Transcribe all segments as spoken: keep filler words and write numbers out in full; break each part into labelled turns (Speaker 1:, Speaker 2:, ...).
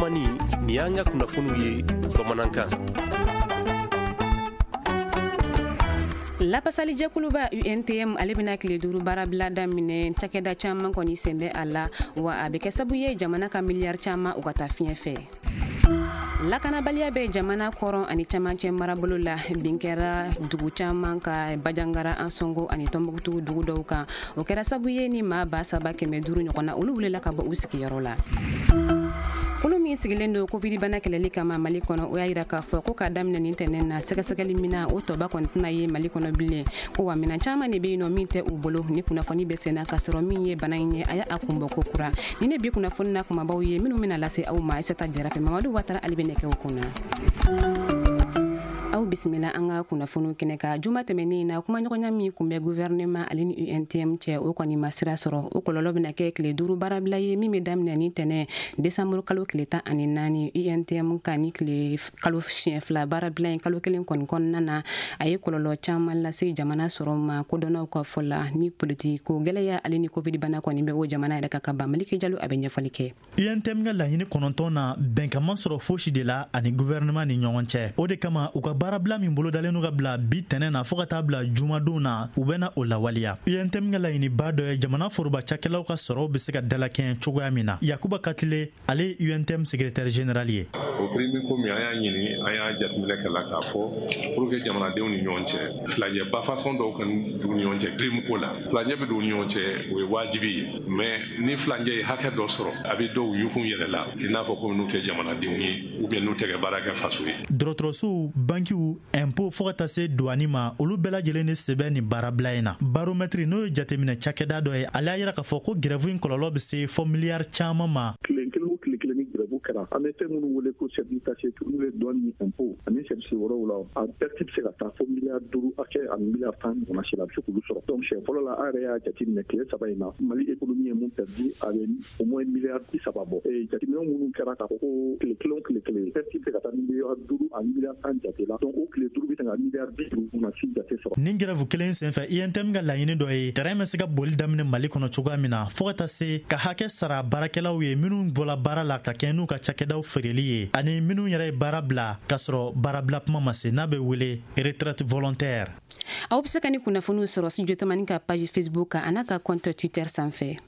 Speaker 1: Tamani, nin y'an ka kunnafoniw ye bamanankan.
Speaker 2: Lapasalijɛkuluba U N T M, ale bɛna tile duuru baarabila daminɛ. Cakɛda caman kɔni sen bɛ a la, wa a bɛ kɛ sabu ye jamana ka miliyari caman u ka taa fiɲɛ fɛ. Lakanabaliya bɛ jamana kɔrɔn ani camancɛ marabolo la. Bin kɛra dugu caman ka, Bajangara, Ansongo ani Tɔnbukutu dugu dɔw kan. O kɛra sabu ye ni maa ba saba kɛmɛ duuru ɲɔgɔn na, olu wulila ka bɔ u sigiyɔrɔ la. Kulu min sigilen don COVID bana kɛlɛli kama Mali kɔnɔ, o y'a yira k'a fɔ ko k'a daminɛ nin tɛnɛn na, sɛgɛsɛgɛli mina o tɔba kɔni tɛna ye Mali kɔnɔ bilen, ko wa minan caman de bɛ yen nɔ min tɛ u bolo. Ni kunnafoni bɛ senna k'a sɔrɔ min ye bana in ye, a y'a kunbɔ ko kura. Ni ne bi kunnafoni na kumabaw ye minnu bɛna lase aw ma, Aissata Jara fɛ, Mamadu Watara ale bɛ nɛgɛw kunna. Aw bisimila an ka kunnafoniw kɛnɛ kan. Juma tɛmɛnen na, kumaɲɔgɔnya min kun bɛ gouvernement ale ni U N T M cɛ, o kɔni ma sira sɔrɔ. O kɔlɔlɔ bɛna kɛ tile duuru baarabila ye min bɛ daminɛ ni tɛnɛ desanburu kalo tile tan ani naani. U N T M ka ni tile kalo siɲɛ fila baarabila in kalo kelen kɔni kɔnɔna na, a ye kɔlɔlɔ caman lase jamana sɔrɔ ma, kodɔnnaw ka fɔ la. Ni politiki ko gɛlɛya ale ni COVID bana kɔni bɛ o jamana yɛrɛ ka ka ban. Maliki Jalo, a bɛ ɲɛfɔli kɛ.
Speaker 3: U N T M ka laɲini kɔnɔntɔn na, bɛnkan ma sɔrɔ fosi de la ani gouvernement ni ɲɔgɔn cɛ. O de kama, u ka baarabila min bolodalen ka bila bi tɛnɛ na fɔɔ ka taa bila jumadon na, u bɛna o lawaleya. U N T M ka laɲiniba dɔ ye jamana foroba cakɛlaw ka sɔrɔw be se ka dalakɛɲɛ cogoya min na. Yakuba Katile, ale ye U N T M secrétaire général ye.
Speaker 4: O prime ko min an y'a ɲini, an y'a jateminɛ kɛ la k'a fɔ pour que jamanadenw ni ɲɔgɔn cɛ filajɛba façon dɔw ka don ni ɲɔgɔn cɛ prime ko la. Filajɛ bɛ don ni ɲɔgɔn cɛ, o ye wajibi ye, mais ni filajɛ ye hakɛ dɔ sɔrɔ, a bɛ dɔw yukun yɛrɛ la, i n'a fɔ komi n'u tɛ jamanadenw ye ou bien n'u tɛ kɛ baara kɛ faso ye.
Speaker 3: Dɔgɔtɔrɔsow, bankiw, impôt, fɔɔ ka taa se duwani ma, olu bɛɛ lajɛlen de sɛbɛn nin baarabila in na. Baromètre, n'o ye jateminɛ cakɛda dɔ ye, ale y'a yira k'a fɔ ko grève in kɔlɔlɔ bɛ se fɔ miliyari caman ma.
Speaker 5: Tile kelen o tile kelen ni grève kɛra, an bɛ fɛn minnu wele ko service taxé, n'u ye douane ni impôt ani service wɛrɛw la, a perte bɛ se ka taa fo miliyari duuru hakɛ ani miliyari tan ɲɔgɔnna si la, a bɛ se k'olu sɔrɔ. Donc siɲɛ fɔlɔ la, an yɛrɛ y'a jateminɛ, tile saba in na, Mali économie ye mun perdu, a bɛ au moins miliyari bi saba bɔ. Jateminɛ minnu kɛra k'a fɔ ko tile kelen o tile kelen, perte bɛ se ka taa miliyari duuru ani miliyari tan jate la, donc o tile duuru bɛ se ka miliyari bi duuru na si jate sɔrɔ.
Speaker 3: Nin grève kelen senfɛ, U N T M ka laɲini dɔ ye terrain bɛ se ka boli daminɛ Mali kɔnɔ cogoya min na, fɔɔ ka taa se ka hakɛ sara baarakɛlaw ye minnu bɔla baara la ka kɛ n'u ka cakɛdaw feereli ye, ani minnu yɛrɛ ye baara bila k'a sɔrɔ baarabila kuma ma se, n'a bɛ wele retraite volontaire.
Speaker 2: Aw bɛ se ka ni kunnafoniw sɔrɔ Studio Tamani ka page Facebook kan, a n'a ka compte Twitter sanfɛ.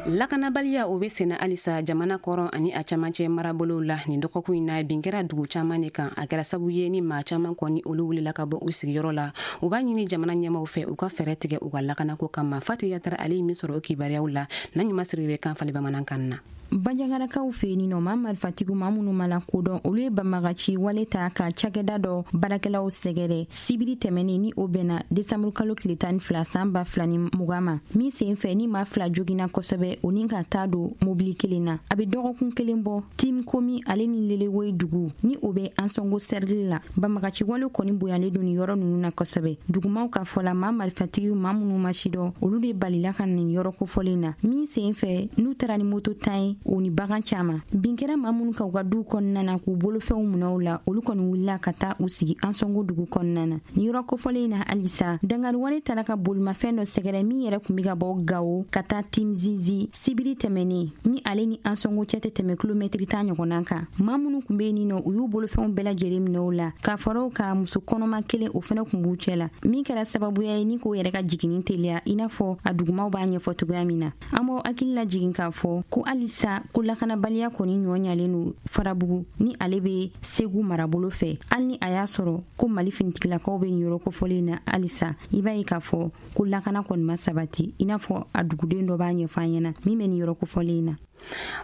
Speaker 2: Lakanabaliya, o bɛ senna halisa jamana kɔrɔn ani a camancɛ marabolow la. Nin dɔgɔkun in na, bin kɛra dugu caman de kan. A kɛra sabu ye ni maa caman kɔni, olu wulila ka bɔ u sigiyɔrɔ la. U b'a ɲini jamana ɲɛmaw fɛ, u ka fɛɛrɛ tigɛ u ka lakanako kama. Fati Yatara, ale ye min sɔrɔ o kibaruyaw la, na ɲuman siri bɛ kan fali bamanankan na.
Speaker 6: Banjagarakaw fɛ yen nɔ, maa marifatigiw, maa minnu ma lakodɔn, olu ye banbagaci wale ta ka cakɛda dɔ baarakɛlaw sɛgɛrɛ sibiri tɛmɛnen, ni o bɛnna desanburu kalo tile tan ni fila san ba fila ni mugan ma, min sen fɛ ni maa fila jogina kosɛbɛ, o ni ka taa don mobili kelen na. A bɛ dɔgɔkun kelen bɔ, Tim Komi ale ni Lelewoyi dugu, ni o bɛ Ansongo cercle la, banbagaci wale kɔni bonyalen don nin yɔrɔ ninnu na kosɛbɛ. Dugumaw ka fɔ la, maa marifatigiw, maa minnu ma sidɔn, olu de balila ka nin yɔrɔ kofɔlen na, min sen fɛ n'u taara ni moto tan ye, o ni bagan caman. Bin kɛra maa minnu ka u ka duw kɔnɔna na k'u bolofɛnw minɛ u la, olu kɔni wulila ka taa u sigi Ansɔngo dugu kɔnɔna na. Nin yɔrɔ kofɔlen na halisa, dangari wale taara ka bolimafɛn dɔ sɛgɛrɛ min yɛrɛ kun be ka bɔ Gawo ka taa Timzizi sibiri tɛmɛnen, ni ale ni Ansɔngo cɛ tɛ tɛmɛ kilomɛtiri tan ɲɔgɔnna kan. Maa minnu kun be yen nɔ, u y'u bolofɛnw bɛɛ lajɛlen minɛ u la, k'a fɔra u ka muso kɔnɔma kelen, o fɛnɛ kun b'u cɛ la, min kɛra sababuya ye ni k'o yɛrɛ ka jiginni teliya, i n'a fɔ a dugumaw b'a ɲɛfɔ cogoya min na. An b'aw hakili lajigin k'a fɔ ko halisa ko lakanabaliya kɔni ɲɔ ɲalen don Farabugu, ni ale be Segu marabolo fɛ. Hali ni a y'a sɔrɔ ko Mali finitigilakaw be nin yɔrɔ kofɔlen na halisa, i b'a ye k'a fɔ ko lakana kɔni ma sabati, i n'a fɔ a duguden dɔ b'a ɲɛfɔ an ɲɛna min bɛ nin yɔrɔ kofɔlen na.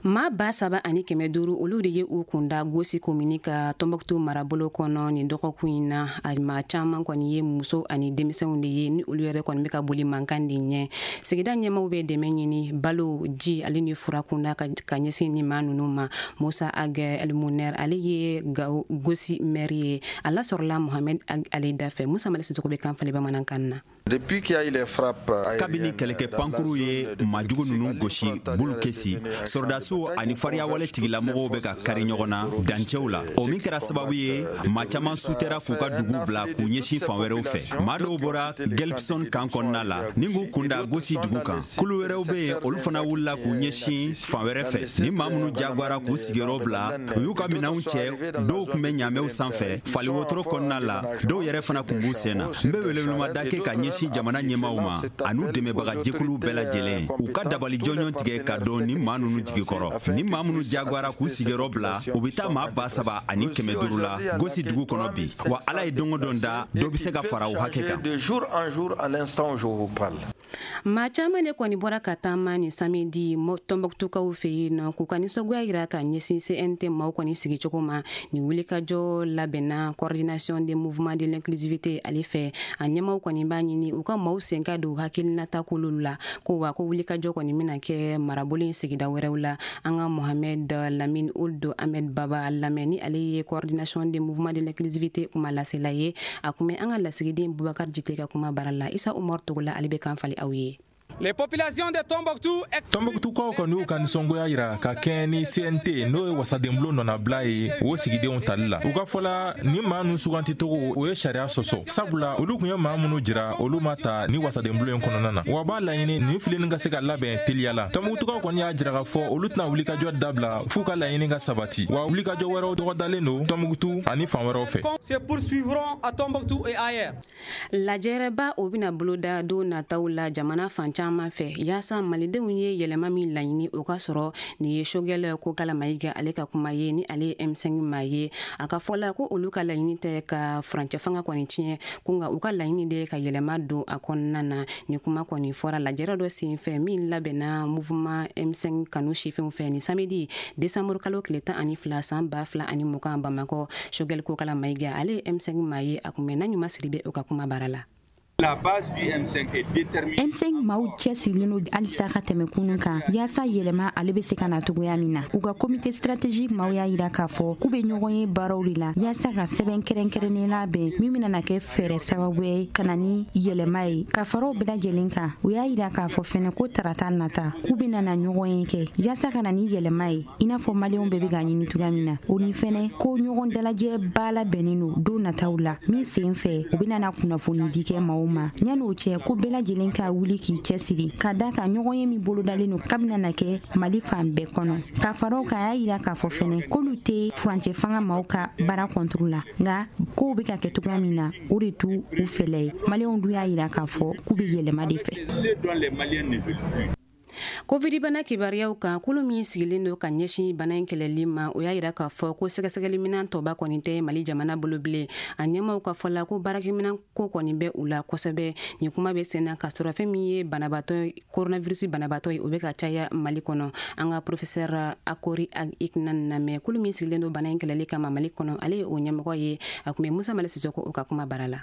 Speaker 2: Maa ba saba ani kɛmɛ duuru, olu de ye u kunda Gosi komini ka Tɔnbɔkutu marabolo kɔnɔ nin dɔgɔkun in na. A maa caman kɔni ye muso ani denmisɛnw de ye, ni olu yɛrɛ kɔni bɛ ka boli mankan de ɲɛ. Sigida ɲɛmaw bɛ dɛmɛ ɲini balo, ji ale ni fura kunda ka ɲɛsin ni maa ninnu ma. Musa Agɛ Elmuner, ale ye Gosi maire ye, a lasɔrɔla Mohamɛd ale da fɛ. Musa Mali Sisoko bɛ kan falen bamanankan na.
Speaker 7: Kabini kɛlɛkɛ pankuru ye maajugu ninnu gosi Bulukesi Sɔrɔdasiw ani fariyawale tigilamɔgɔw bɛ ka kari ɲɔgɔn na dancɛw la. O min kɛra sababu ye, maa caman sutɛra k'u ka dugu bila k'u ɲɛsin fan wɛrɛw fɛ. Maa dɔw bɔra Gelbson kan kɔnɔna la ni k'u kunda Gosi dugu kan. Kulu wɛrɛw bɛ yen, olu fana wulila k'u ɲɛsin fan wɛrɛ fɛ. Ni maa minnu jagoyara k'u sigiyɔrɔ bila, u y'u ka minɛnw cɛ. Dɔw tun bɛ ɲaamɛw sanfɛ faliwotoro kɔnɔna la, dɔw yɛrɛ fana tun b'u sen na. N bɛ welewelemada kɛ ka ɲɛsin jamana ɲɛmaaw ma an'u dɛmɛbaga jɛkuluw bɛɛ lajɛlen, u ka dabali jɔnjɔn tigɛ ka dɔn ni maa ninnu jigi kɔrɔ. Ni maa minnu jagoyara k'u sigiyɔrɔ bila, u bɛ taa maa ba saba ani kɛmɛ duuru la Gosi dugu kɔnɔ bi. Wa Ala ye don o don da, dɔ bɛ se ka fara o hakɛ kan.
Speaker 2: Maa caman de kɔni bɔra ka taama ni samedi Tɔnbɔkutukaw fɛ yen nɔ k'u ka nisɔngoya yira ka ɲɛsin C N T maaw kɔni sigicogo ma. Nin wulikajɔ labɛnna Coordination des mouvements de l'inclusivité ale fɛ. A ɲɛmaw kɔni b'a ɲini u ka maaw sen ka don hakilinata kolow la, ko wa ko wulikajɔ kɔni bɛna kɛ marabolo in sigida wɛrɛw la. An ka Mohamed Lamine Ould Ahmed Baba lamɛn, ni ale ye Coordination des mouvements de l'inclusivité kuma lasela ye. A kun bɛ an ka lasigiden Bubakar Jite ka kuma baara la. Isa Umar Togola, ale bɛ kan fali aw ye.
Speaker 8: Les populations de Tombouctou.
Speaker 9: Tombouctukaw kɔni y'u ka nisɔngoya yira ka kɛɲɛ ni C N T, n'o ye wasadenbulon nɔnabila ye, o sigidenw tali la. U ka fɔla, ni maa nu suganticogo, o ye sariya sɔsɔ, sabula olu kun ye maa minnu jira, olu ma ta ni wasadenbulon in kɔnɔna na. Wa b'a laɲini nin fileni ka se ka labɛn teliya la. Tombouctukaw kɔni y'a jira k'a fɔ olu tɛna wulikajɔ dabila f'u ka laɲini ka sabati. Wa wulikajɔ wɛrɛw dɔgɔdalen don Tombouctou ani fan wɛrɛw fɛ.
Speaker 8: Se poursuivront à Tombouctou et ailleurs.
Speaker 2: Lajɛrɛba o bɛna boloda don nataw la jamana fan caman fɛ, yaasa malidenw ye yɛlɛma min laɲini, o ka sɔrɔ. Nin ye Choguel Kokalla Maïga ale ka kuma ye, ni ale ye M cinq maa ye. A ka fɔ la ko olu ka laɲini tɛ ka furancɛ fanga kɔni tiɲɛ ko, nka u ka laɲini de ka yɛlɛma don a kɔnɔna na. Nin kuma kɔni fɔra lajɛrɛ dɔ sen fɛ min labɛnna mouvement M cinq kanu sifinw fɛ ni samedi décembre kalo tile tan ani fila san ba fila ani mugan Bamakɔ. Choguel Kokalla Maïga, ale ye M cinq maa ye, a kun bɛ na ɲuman siri bɛ o ka kuma baara la.
Speaker 10: La base du M cinq est déterminée.
Speaker 6: M cinq maaw cɛsirilen don halisa ka tɛmɛ kunun kan, yaasa yɛlɛma ale bɛ se ka na togoya min na. U ka comité stratégique maaw y'a yira k'a fɔ k'u bɛ ɲɔgɔn ye baaraw de la, yaasa ka sɛbɛn kɛrɛnkɛrɛnnen labɛn min bɛna kɛ fɛɛrɛ sababu ye ka na ni yɛlɛma ye. Ka fara o bɛɛ lajɛlen kan, u y'a yira k'a fɔ fɛnɛ ko tarata nata, k'u bɛna na ɲɔgɔn ye kɛ yaasa ka na ni yɛlɛma ye, i n'a fɔ maliyɛnw bɛɛ bɛ ka ɲini cogoya min na. O ni fɛnɛ ko ɲɔgɔn dalajɛ ba labɛnnen don don nataw la, min sen fɛ u bɛna na kunnafoni di kɛ maaw ma. Yan'o cɛ, ko bɛɛ lajɛlen ka wuli k'i cɛsiri ka da ka ɲɔgɔn ye min bolodalen don kabina na kɛ Mali fan bɛɛ kɔnɔ. Ka fara o kan, a y'a yira k'a fɔ fɛnɛ k'olu tɛ furancɛ fanga maaw ka baara kɔnturu la, nka kow bɛ ka kɛ cogoya min na, o de t'u u fɛlɛ ye. Maliyɛnw dun y'a yira k'a fɔ k'u bɛ yɛlɛma de fɛ.
Speaker 10: Ce dont les Maliens ne veulent plus.
Speaker 2: Covid bana kibaruyaw kan, kulu min sigilen don ka ɲɛsin bana in kɛlɛli ma, o y'a yira k'a fɔ ko sɛgɛsɛgɛliminɛn tɔba kɔni tɛ Mali jamana bolo bilen. A ɲɛmaw ka fɔ la ko baarakɛminɛn ko kɔni bɛ u la kosɛbɛ. Nin kuma bɛ sen na k'a sɔrɔ fɛn min ye banabaatɔ, coronavirus banabaatɔ ye, o bɛ ka caya Mali kɔnɔ. An ka professeur Akori Iknan lamɛn, kulu min sigilen don bana in kɛlɛli kama Mali kɔnɔ, ale ye o ɲɛmɔgɔ ye. A tun bɛ Musa Mali Sisoko o ka kuma baara la.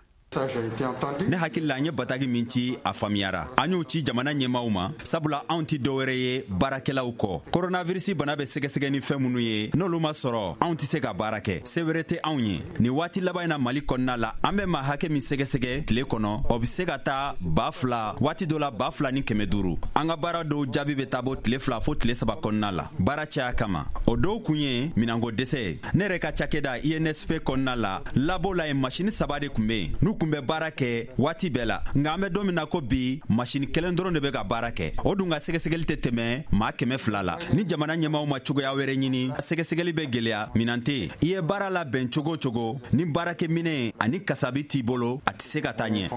Speaker 7: Ne hakili la, an ye bataki min ci, a faamuyara. An y'o ci jamana ɲɛmaw ma, sabula anw tɛ dɔwɛrɛ ye baarakɛlaw kɔ. Koronavirisi bana bɛ sɛgɛsɛgɛ ni fɛn minnu ye, n'olu ma sɔrɔ, anw tɛ se ka baara kɛ. Se wɛrɛ tɛ anw ye. Nin waati laban in na, Mali kɔnɔna la, an bɛ maa hakɛ min sɛgɛsɛgɛ tile kɔnɔ, o bɛ se ka taa ba fila, waati dɔ la ba fila ni kɛmɛ duuru. An ka baara dɔw jaabi bɛ taa bɔ tile fila fo tile saba kɔnɔna la, baara caya kama. O dɔw kun ye minɛnko dɛsɛ ye. Ne yɛrɛ ka cakɛda I N S P kɔnɔna la, labo la yen, masini saba de tun bɛ yen n'u kun bɛ baara kɛ waati bɛɛ la, nka an bɛ don min na ko bi, masini kelen dɔrɔn de bɛ ka baara kɛ. O dun ka sɛgɛsɛgɛli tɛ tɛmɛ maa kɛmɛ fila la. Ni jamana ɲɛmaw ma cogoya wɛrɛ ɲini, sɛgɛsɛgɛli bɛ gwɛlɛya. Minan tɛ yen. I ye baara labɛn cogo o cogo, ni baarakɛminɛ ani kasabi t'i bolo, a tɛ se ka taa ɲɛ.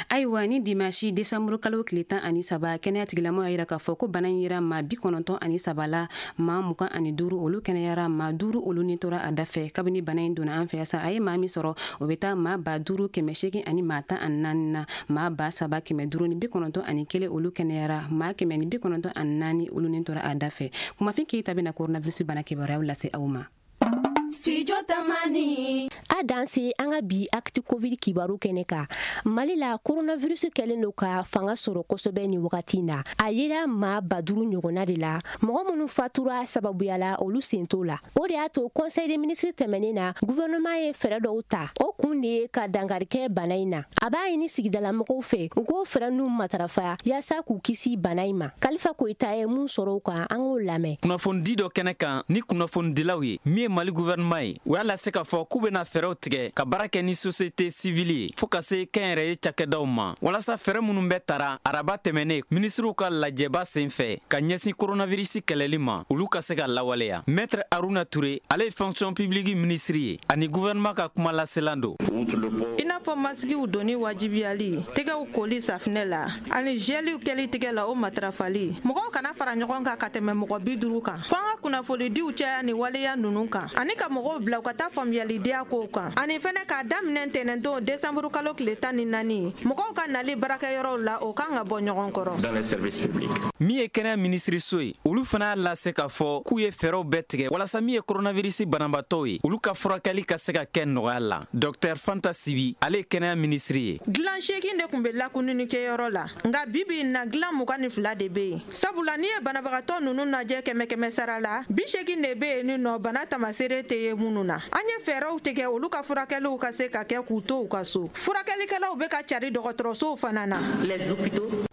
Speaker 2: Ayiwa, ni dimanche décembre kalo tile tan ani saba, kɛnɛya tigilamɔgɔw y'a yira k'a fɔ ko bana in yera maa bi kɔnɔntɔn ani saba la. Maa mugan ani duuru olu kɛnɛyara, maa duuru olu ni tora a dafɛ. Kabini bana in donna an fɛ sa, a ye maa min sɔrɔ, o bɛ taa maa ba duuru kɛmɛ seegin ani maa tan ani naani na. Maa ba saba kɛmɛ duuru ni bi kɔnɔntɔn ani kelen olu kɛnɛyara, maa kɛmɛ ni bi kɔnɔntɔn ani naani olu ni tora a dafɛ. Kumafin Keyita bɛna coronavirus bana kibaruyaw lase aw ma.
Speaker 11: Studio Tamani.
Speaker 12: A danse an ka bi acte Covid kibaru kɛnɛ kan. Mali la, coronavirus kɛlen don ka fanga sɔrɔ kosɛbɛ ni wagati in na. A yera maa ba duuru ɲɔgɔnna de la. Mɔgɔ minnu fatura sababuya la, olu sen t'o la. O de y'a to conseil des ministres tɛmɛnen na, gouvernement ye fɛɛrɛ dɔw ta. O kun de ye ka dankari kɛ bana in na. A b'a ɲini sigidalamɔgɔw fɛ u k'o fɛɛrɛ ninnu matarafa yaasa k'u kisi bana in ma. Kalifa Koyita ye mun sɔrɔ o kan, an k'o lamɛn.
Speaker 13: Kunnafonidi dɔ kɛnɛ kan ni kunnafonidilaw ye min ye Mali gouvernement ye, u y'a lase k'a fɔ k'u bɛna fɛɛrɛw tigɛ ka baara kɛ ni société civile ye fɔɔ ka se kɛnyɛrɛye cakɛdaw ma, walasa fɛɛrɛ minnu bɛ tara araba tɛmɛnen minisiriw ka lajɛba sen fɛ ka ɲɛsin coronavirus kɛlɛli ma, olu ka se ka lawaleya. Maître Aruna Ture, ale ye fonction publique minisiri ye ani gouvernement ka kuma laselan don.
Speaker 14: I n'a fɔ masigiw donni wajibiyali, tɛgɛw koli safinɛ la ani gɛliw kɛli tigɛ la, o matarafali, mɔgɔw kana fara ɲɔgɔn kan ka tɛmɛ mɔgɔ bi duuru kan. Fo an ka kunnafonidiw caya ni waleya ninnu kan ani ka mɔgɔw bila u ka taa faamuyalidiya kow kan, ani fɛnɛ k'a daminɛ ntɛnɛndon desanburu kalo tile tan ni naani, mɔgɔw ka nali baarakɛyɔrɔw la, o kan ka bɔ ɲɔgɔn kɔrɔ.
Speaker 13: Min ye kɛnɛya minisiriso ye, olu fana y'a lase k'a fɔ k'u ye fɛɛrɛw bɛɛ tigɛ walasa min ye coronavirus banabaatɔw ye, olu ka furakɛli ka se ka kɛ nɔgɔya la. Docteur Fanta Sibi, ale ye kɛnɛya minisiri ye.
Speaker 14: Dilan seegin de tun bɛ lakununi-kɛyɔrɔ la, nka bi bi in na, dilan mugan ni fila de bɛ yen, sabula n'i ye banabagatɔ ninnu lajɛ kɛmɛ kɛmɛ sara la, bi seegin de bɛ yen ni nɔ bana tamasere tɛ ye minnu na. An ye fɛɛrɛw tigɛ olu ka furakɛliw ka se ka kɛ k'u to u ka so. Furakɛlikɛlaw bɛ ka cari dɔgɔtɔrɔsow fana na.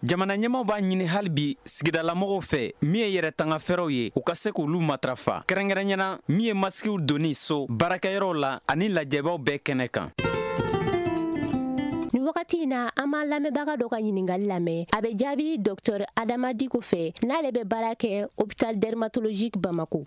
Speaker 13: Jamana ɲɛmaw b'a ɲini hali bi sigidalamɔgɔw fɛ, min ye yɛrɛ tanga fɛɛrɛw ye, u ka se k'olu matarafa, kɛrɛnkɛrɛnyana min ye masikiw donni so, baarakɛyɔrɔw la ani lajɛbaw bɛɛ kɛnɛ kan.
Speaker 12: Ni wagati in na, an b'an lamɛnbaga dɔ ka ɲiningali lamɛn. A bɛ jaabi Docteur Adama Diko fɛ, n'ale bɛ baara kɛ hôpital dermatologique Bamako.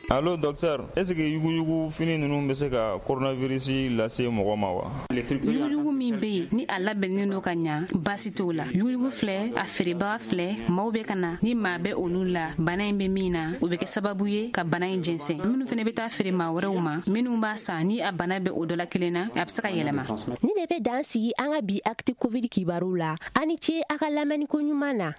Speaker 15: Allo docteur, est ce que yuguyugu fini ninnu bɛ se ka coronavirus lase mɔgɔ ma wa?
Speaker 2: Yuguyugu min bɛ yen ni a labɛnnen don ka ɲa, baasi t'o la. Yuguyugu filɛ, a feerebaga filɛ, maaw bɛ ka na ni maa bɛ olu la bana in bɛ min na, o bɛ kɛ sababu ye ka bana in jɛnsɛn. Minnu fana bɛ taa feere maa wɛrɛw ma, minnu b'a san, ni a bana bɛ o dɔ la kelen na, a bɛ se ka yɛlɛma.
Speaker 12: Ni de bɛ dan sigi an ka bi acte Covid kibaru la. A ni ce a ka lamɛnni ko ɲuman na.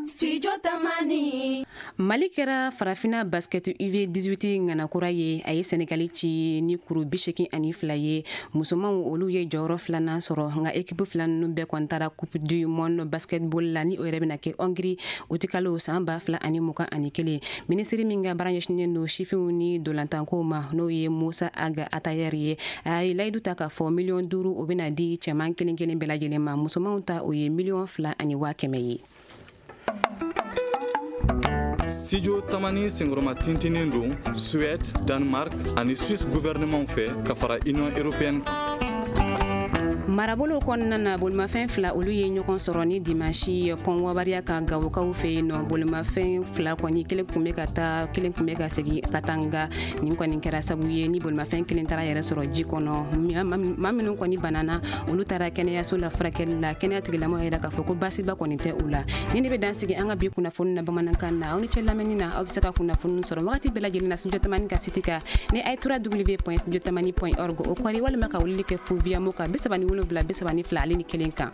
Speaker 11: Studio Tamani.
Speaker 2: Mali kɛra Farafina basket U dix-huit ŋanakura ye. A ye Senegali ci ni kuru bi seegin ani fila ye. Musomanw, olu ye jɔyɔrɔ filanan sɔrɔ, nka équipe fila ninnu bɛɛ kɔni taara Coupe du monde basketball la, ni o yɛrɛ bɛna kɛ Hongrie utikalo san ba fila ani mugan ani kelen. Minisiri min ka baara ɲɛsinnen don sifinw ni dolantankow ma, n'o ye Musa Aga Atayɛri ye, a ye layidu ta k'a fɔ miliyɔn duuru, o bɛna di cɛman kelen kelen bɛɛ lajɛlen ma. Musomanw ta, o ye miliyɔn fila ani waa kɛmɛ ye.
Speaker 16: Studio Tamani senkɔrɔma tintinen don Suède, Danemark ani Suisse gouvernement fɛ ka fara Union européenne kan.
Speaker 2: Marabolo kɔnɔna na, bolimafɛn fila, olu ye ɲɔgɔn sɔrɔ ni dimanche pɔn Wabariya ka Gawokaw fɛ yen nɔ. Bolimafɛn fila kɔni, kelen kun bɛ ka taa, kelen kun bɛ ka segin ka taa, nga nin kɔni kɛra sabu ye ni bolimafɛn kelen taara yɛrɛ sɔrɔ ji kɔnɔ. Maa minnu kɔni banana, olu taara kɛnɛyaso la furakɛli la. Kɛnɛya tigilamɔgɔw yɛrɛ k'a fɔ ko baasiba kɔni tɛ u la. Ni ne bɛ dan sigi an ka bi kunnafoni na bamanankan na. Aw ni cɛ lamɛnni na. Aw bɛ se ka kunnafoni sɔrɔ wagati bɛɛ lajɛlen na Studio Tamani ka site kan ni a ye w w w point studiotamani point org o kɔri, walima ka weleli kɛ fu Viamo kan bi saba ni wolonwula bi saba ni fila ale ni kelen kan.